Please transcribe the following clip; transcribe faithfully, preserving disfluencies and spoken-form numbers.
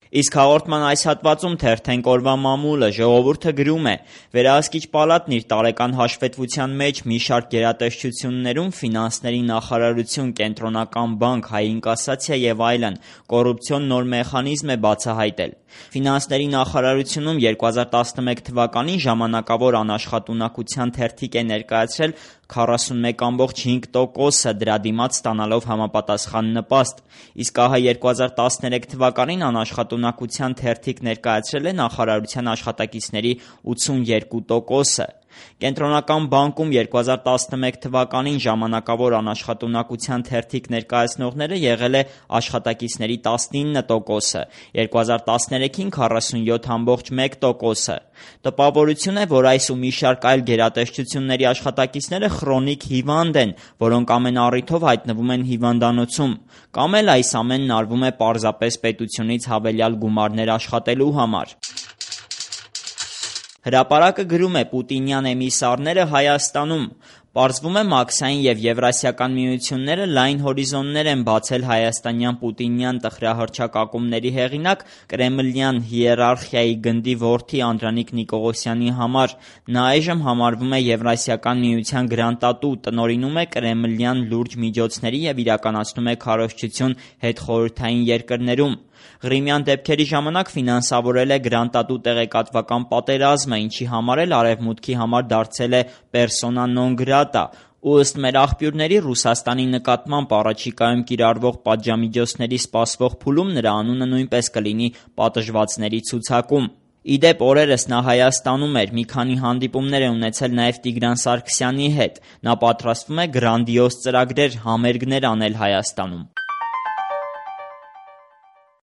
Իսկ հաղորդման այս հատվածում թերթենք օրվա մամուլը, ժողովուրդը գրում է. Վերահսկիչ պալատն իր տարեկան հաշվետվության մեջ մի շարք գերատեսչություններում ֆինանսների նախարարություն, կենտրոնական բանկ, հայ ինկասացիա եւ այլն կոռուպցիոն նոր մեխանիզմ է բացահայտել։ Ֆինանսների նախարարությունում երկու հազար տասնմեկ թվականին ժամանակավոր անաշխատունակության թերթիկ է ներկայացրել քառասունմեկ կόμք հինգ տոկոսը, դրա դիմաց ստանալով համապատասխան նպաստ, իսկ ահա երկու հազար տասներեք թվականին անաշխատունակության թերթիկ ներկայացրել է նախարարության աշխատակիցների ութսունյերկու տոկոսը։ Կենտրոնական բանկում երկու հազար տասնմեկ թվականին ժամանակավոր անաշխատունակության թերթիկ ներկայացնողները եղել է աշխատակիցների տասնինը տոկոսը, երկու հազար տասներեքին քառասունյոթ կόμք մեկ տոկոսը։ Տպավորություն է, որ այս ու մի շարք այլ գերատեսչությունների աշխատակիցները խրոնիկ հիվանդ են, որոնք ամեն առիթով հայտնվում են հիվանդանոցում, կամ էլ այս ամենն արվում է պարզապես պետությունից հավելյալ գումարներ աշխատելու համար։ Հրապարակը գրում է. Պուտինյան էմիսարները Հայաստանում։ Պարզվում է Մաքսային և Եվրասիական միությունները լայն հորիզոններ են բացել հայաստանյան պուտինյան տխրահռչակակումների հեղինակ, կրեմլյան հիերարխիայի գնդի որդի Անդրանիկ Նիկողոսյանի համար։ Նա այժմ համարվում է Եվրասիական միության գրանտատու, տնօրինում է կրեմլյան լուրջ միջոցների և իրականացնում է քարոզչություն հետխորհրդային երկրներում։ Ղրիմյան դեպքերի ժամանակ ֆինանսավորել է գրանտատու տեղեկատվական պատերազմը, ինչի համար էլ Արևմուտքի համար դարձել է պերսոնա նոն գրատա, ու ըստ մեր աղբյուրների Ռուսաստանի նկատմամբ առաջիկայում կիրառվող պատժամիջոցների սպասվող փուլում նրա անունը նույնպես կլինի պատժվածների ցուցակում։ Ի դեպ, օրերս նա Հայաստանում էր, մի քանի հանդիպումներ է ունեցել նաև Տիգրան Սարգսյանի հետ։ Նա պատրաստվում է գրանդիոզ ծրագրեր, համերգներ անել Հայաստանում։